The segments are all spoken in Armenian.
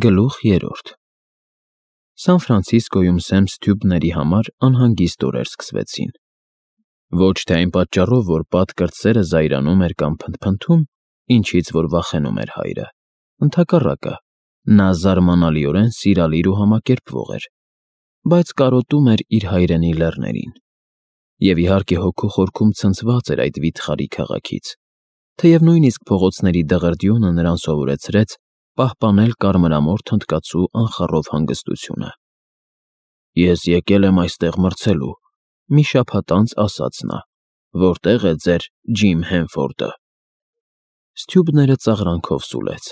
Գլուխ 3 Սան Ֆրանցիսկոյում Սեմ Սթյուբների համար անհանգիստ օրեր սկսվեցին։ Ոչ թե այն պատճառով, որ Պատ կրտսերը զայրանում էր կամ փնթփնթում, ինչից որ վախենում էր հայրը, ընդհակառակը, նա զարմանալիորեն սիրալիր ու համակերպվող էր, բայց կարոտում էր իր հայրենի լեռներին։ Եվ իհարկե հոգու խորքում ցնցված էր այդ վիթխարի քաղաքից, թեև նույնիսկ փողոցների դղրդյունը նրան սովորեցրեց պահպանել կարմրամորթ հնդկացու անխառով հանգստությունը։ «Ես եկել եմ այստեղ մրցելու», մի շաբաթ անց ասաց նա, «որտե՞ղ է ձեր Ջիմ Հենֆորդը»։ Սթյուբները ծաղրանքով սուլեց.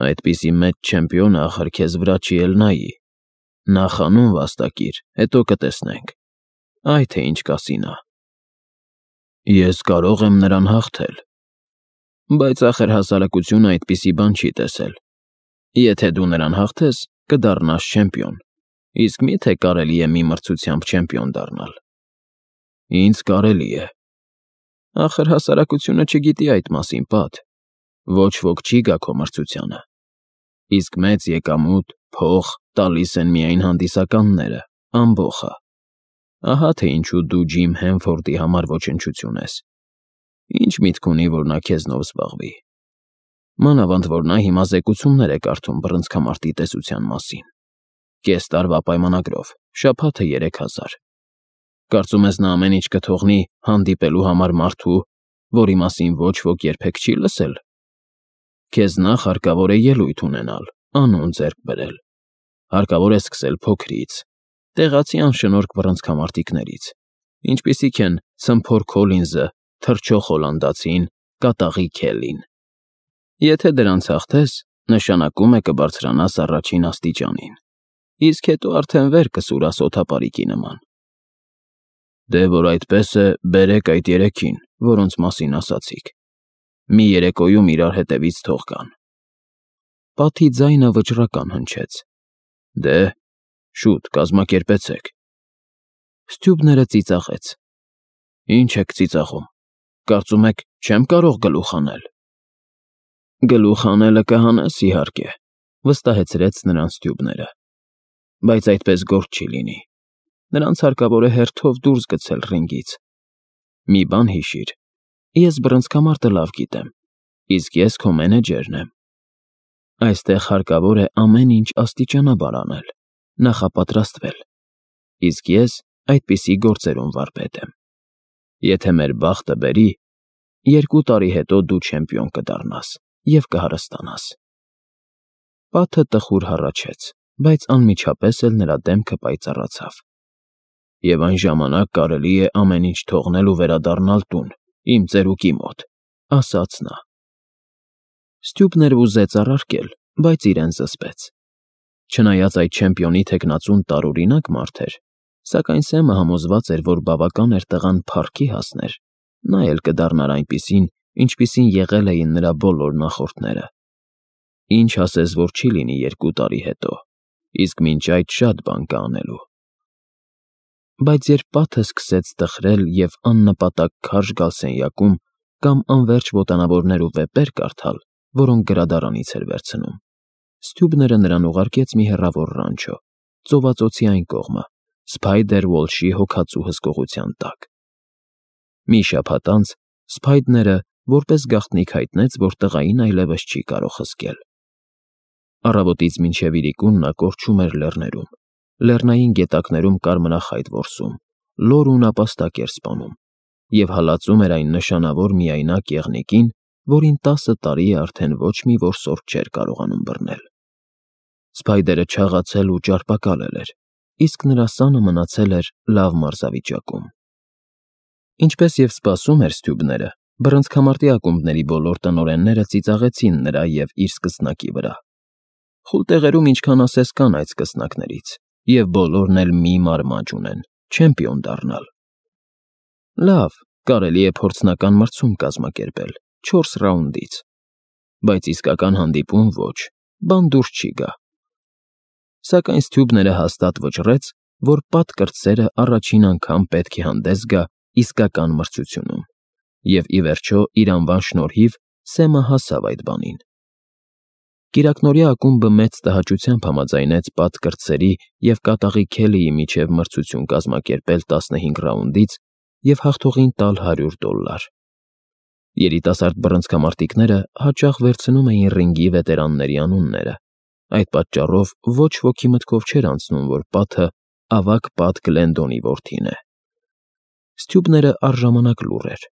«Այդպիսի մեծ չեմպիոնը ախր քեզ վրա չի էլ նայի։ Նախ անուն վաստակիր, հետո կտեսնենք, այ թե ինչ կասի նա»։ «Ես կարող եմ նրան հաղթել, բայց ախր հասարակությունը այդպիսի բան չի տեսել։ Եթե դու նրան հաղթես, կդառնաս չեմպիոն, իսկ մի՞թե կարելի է մի մրցությամբ չեմպիոն դառնալ»։ «Ինձ կարելի է»։ «Ախր հասարակությունը չգիտի այդ մասին, Պատ, ոչ ոք չի գա քո մրցությանը, իսկ մեծ եկամուտ, փող տալիս են միայն հանդիսականները, ամբոխը։ Ահա թե ինչու դու Ջիմ Հենֆորդի համար ոչնչություն ես։ Ինչ միտք ունի, որ նա քեզնով զբաղվի։ Մանավանդ որ նա հիմա զեկուցումներ է կարդում բռնցքամարտի տեսության մասին, կես տարվա պայմանագրով, շաբաթը 3000։ Կարծում ես նա ամեն ինչ կթողնի հանդիպելու համար մարդու, որի մասին ոչ ոք երբեք չի լսել։ Քեզ նախ հարկավոր է ելույթ ունենալ, անուն ձեռք բերել, հարկավոր է սկսել փոքրից, տեղացի անշնորհք բռնցքամարտիկներից, ինչպիսիք են Ցմփոր Քոլինզը, Թռչող Հոլանդացին, Կատաղի Քելին։ Եթե դրանց հաղթես, նշանակում է կբարձրանաս առաջին աստիճանին, իսկ հետո արդեն վեր կսուրաս օդապարիկի նման։ Դե որ այդպես է, բերեք այդ երեքին, որոնց մասին ասացիք։ Մի երեկոյում իրար հետևից թող գան։ Պատի ձայնը վճռական հնչեց։ Դե, շուտ կազմակերպեցեք։ Սթյուբները ծիծաղեց։ Ինչ եք ծիծաղում, կարծում եք չեմ կարող գլուխ անել։ Գլուխ անելը կհանես, իհարկե, վստահեցրեց նրան Սթյուբները, բայց այդպես գործ չի լինի։ Նրանց հարկավոր է հերթով դուրս գցել ռինգից։ Մի բան հիշիր, ես բռնցքամարտը լավ գիտեմ, իսկ ես քո մենեջերն եմ։ Այստեղ հարկավոր է ամեն ինչ աստիճանաբար անել, նախապատրաստվել, իսկ ես այդպիսի գործերում վարպետ եմ։ Եթե մեր բախտը բերի, 2 տարի հետո դու չեմպիոն կդառնաս և կհարստանաս։ Պատը տխուր հառաչեց, բայց անմիջապես էլ նրա դեմքը պայծառացավ։ Եվ այն ժամանակ կարելի է ամեն ինչ թողնել ու վերադառնալ տուն, իմ ծերուկի մոտ, ասաց նա։ Սթյուբները ուզեց առարկել, բայց իրեն զսպեց։ Չնայած այդ չեմպիոնի թեկնածուն տարօրինակ մարդ էր, սակայն Սեմը համոզված էր, որ բավական էր տղան փառքի հասներ, նա էլ կդառնար այնպիսին, ինչպիսին եղել էին նրա բոլոր նախորդները։ Ինչ ասես, որ չի լինի 2 տարի հետո, իսկ մինչ այդ շատ բան կա անելու։ Բայց երբ Պատը սկսեց տխրել և աննպատակ քարշ գալ սենյակում կամ անվերջ ոտանավորներ ու վեպեր կարդալ, որոնք գրադարանից էր վերցնում, Սթյուբները նրան ուղարկեց մի հեռավոր ռանչո, ծովածոցի այն կողմը, Սփայդեր Ուոլշի հոգածու հսկողության տակ։ Մի շաբաթ անց Սփայդերը որպես գաղտնիք հայտնեց, որ տղային այլևս չի կարող հսկել։ Առավոտից մինչև իրիկուն նա կորչում էր լեռներում, լեռնային գետակներում կարմրախայտ որսում, լոր ու նապաստակ էր սպանում և հալածում էր այն նշանավոր միայնակ եղնիկին, որին 10 տարի է արդեն ոչ մի որսորդ չէր կարողանում բռնել։ Սփայդերը չաղացել ու ճարպակալել էր, իսկ նրա սանը մնացել էր լավ մարզավիճակում։ Ինչպես և սպասում էր Սթյուբները, բռնցքամարտի ակումբների բոլոր տնօրենները ծիծաղեցին նրա և իր սկսնակի վրա։ Խուլտեղերում ինչքան ասես կան այդ սկսնակներից, և բոլորն էլ մի մարմաջ ունեն՝ չեմպիոն դառնալ։ Լավ, կարելի է փորձնական մրցում կազմակերպել 4 ռաունդից, բայց իսկական հանդիպում ոչ, բան դուրս չի գա։ Սակայն Սթյուբները հաստատ վճռեց, որ Պատ կրտսերը առաջին անգամ պետք է հանդես գա իսկական մրցությունում, և ի վերջո իր անվան շնորհիվ Սեմը հասավ այդ բանին։ Կիրակնօրյա ակումբը մեծ տհաճությամբ համաձայնեց Պատ կրտսերի և կատաղի Քելիի միջև մրցություն կազմակերպել 15 ռաունդից և հաղթողին տալ $100։ Երիտասարդ բռնցքամարտիկները հաճախ վերցնում էին ռինգի վետերանների անունները, այդ պատճառով ոչ ոքի մտքով չէր անցնում, որ Պաթը ավագ Պատ Գլենդոնի որդին է։ Սթյուբները առժամանակ լուռ էր։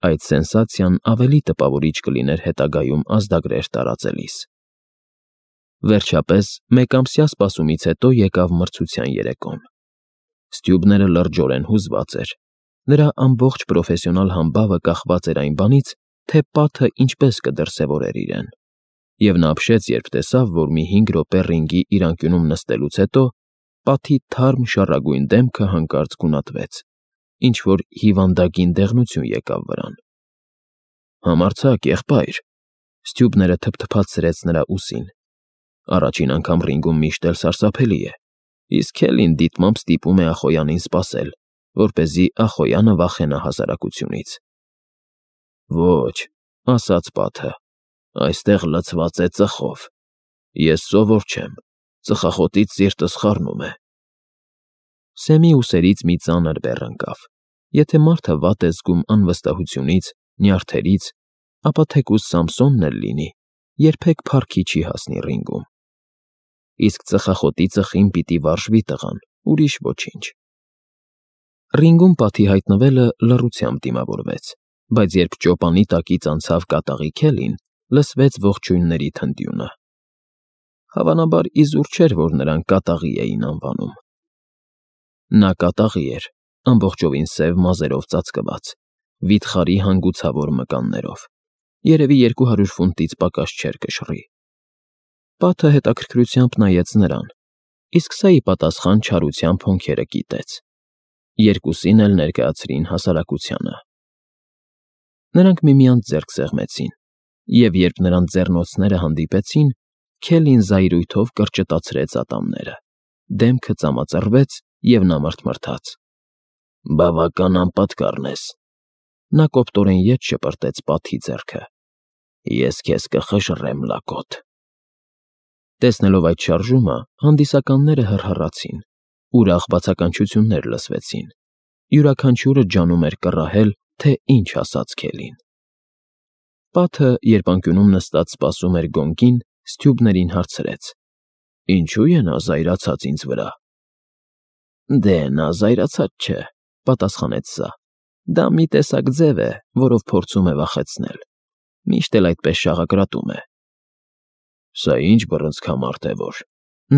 Այդ սենսացիան ավելի տպավորիչ կլիներ հետագայում ազդագրեր տարածելիս։ Վերջապես, մեկամսյա սպասումից հետո եկավ մրցության երեկոն։ Սթյուբները լրջորեն հուզված էր։ Նրա ամբողջ պրոֆեսիոնալ համբավը կախված էր այն բանից, թե Պաթը ինչպես կդրսևորեր իրեն։ Եվ նա ապշեց, երբ տեսավ, որ մի 5 րոպե ռինգի իր անկյունում նստելուց հետո Պաթի թարմ շառագույն դեմքը հանկարծ գունատվեց, ինչ-որ հիվանդագին դեղնություն եկավ վրան։ Համարձակ, եղբայր, Սթյուբները թփթփացրեց նրա ուսին։ Առաջին անգամ ռինգում միշտ էլ սարսափելի է, իսկ Քելին դիտմամբ ստիպում է Ախոյանին սպասել, որպեսզի Ախոյանը վախենա հասարակությունից։ Ոչ, ասաց Պաթը, այստեղ լցված է ծխով։ Ես սովոր չեմ, ծխախոտից սիրտս խառնում է։ Սեմի ուսերից մի ծանր բեռ ընկավ։ Եթե մարդը վատ է զգում անվստահությունից, նյարդերից, ապա թեկուզ Սամսոնն էլ լինի, երբեք փառքի չի հասնի ռինգում։ Իսկ ծխախոտի ծխին պիտի վարժվի տղան, ուրիշ ոչինչ։ Ռինգում Պաթի հայտնվելը լռությամբ դիմավորվեց, բայց երբ ճոպանի տակից անցավ կատաղի Քելին, լսվեց ողջույնների թնդյունը։ Հավանաբար իզուր չէր, որ նրան կատաղի էին անվանում։ Նա կատաղի էր, ամբողջովին սև մազերով ծածկված, վիթխարի հանգուցավոր մկաններով, երևի 200 ֆունտից պակաս չէր կշռի։ Պաթը հետաքրքրությամբ նայեց նրան, իսկ սա ի պատասխան չարությամբ հոնքերը կիտեց։ Երկուսին էլ ներկայացրին հասարակությանը։ Նրանք միմյանց ձեռք սեղմեցին, և երբ նրանց ձեռնոցները հանդիպեցին, Քելին զայրույթով կրճտացրեց ատամները, դեմքը ծամածռվեց, և նա մռթմռթաց. Բավական անպատկառն ես։ Նա կոպտորեն ետ շպրտեց Պաթի ձեռքը։ Ես քեզ կխժռեմ, լակոտ։ Տեսնելով այդ շարժումը, հանդիսականները հռհռացին, ուրախ բացականչություններ լսվեցին։ Յուրաքանչյուրը ջանում էր կռահել, թե ինչ ասաց Քելին։ Պաթը, երբ անկյունում նստած սպասում էր գոնգին, Սթյուբներին հարցրեց. Ինչու է նա զայրացած ինձ վրա։ Դե նա զայրացած չէ, պատասխանեց սա։ Դա մի տեսակ ձև է, որով փորձում է վախեցնել։ Միշտ էլ այդպես շաղակրատում է։ Սա ինչ բռնցքամարդ է, որ,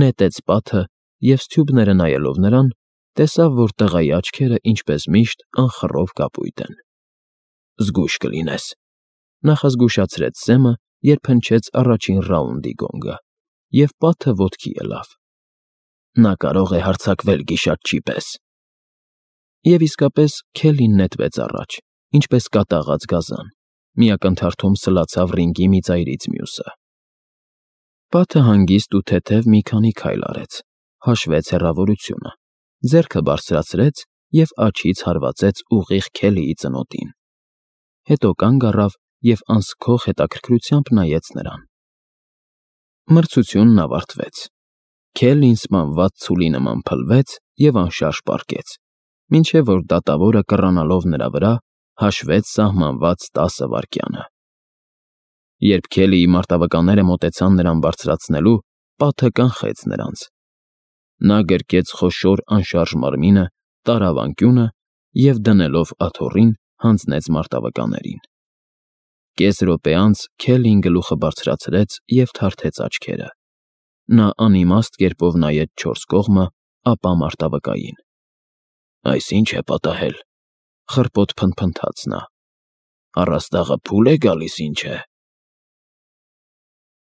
նետեց Պաթը, և Սթյուբները նայելով նրան, տեսավ, որ տղայի աչքերը, ինչպես միշտ, անխռով կապույտ են։ Զգույշ կլինես։ Նախազգուշացրեց Սեմը, երբ հնչեց առաջին ռաունդի գոնգը, և Պաթը ոտքի ելավ։ Նա կարող է հարձակվել գիշատչի պես։ Եվ իսկապես Քելին նետվեց առաջ, ինչպես կատաղած գազան, մի ակնթարթում սլացավ ռինգի մի ծայրից մյուսը։ Պաթը հանգիստ ու թեթև մի քանի քայլ արեց, հաշվեց հեռավորությունը, ձեռքը բարձրացրեց և աջից հարվածեց ուղիղ Քելիի ծնոտին։ Հետո կանգ առավ և անսքող հետաքրքրությամբ նայեց նրան։ Մրցությունն ավարտվեց։ Քելին սպանված ցուլի նման փլվեց և անշարժ պառկեց, մինչև որ դատավորը կռանալով նրա վրա, հաշվեց սահմանված 10 վայրկյանը։ Երբ Քելիի մարտավականները մոտեցան նրան բարձրացնելու, Պաթը կանխեց նրանց։ Նա գրկեց խոշոր անշարժ մարմինը, տարավ անկյունը և, դնելով աթոռին, հանձնեց մարտավկաներին։ Կես րոպե անց Քելին գլուխը բարձրացրեց և թարթեց աչքերը։ Նա անիմաստ կերպով նայեց չորս կողմը, ապա մարտավկային։ Այս ի՞նչ է պատահել, խռպոտ փնթփնթաց նա։ Առաստաղը փուլ է գալիս, ինչ է։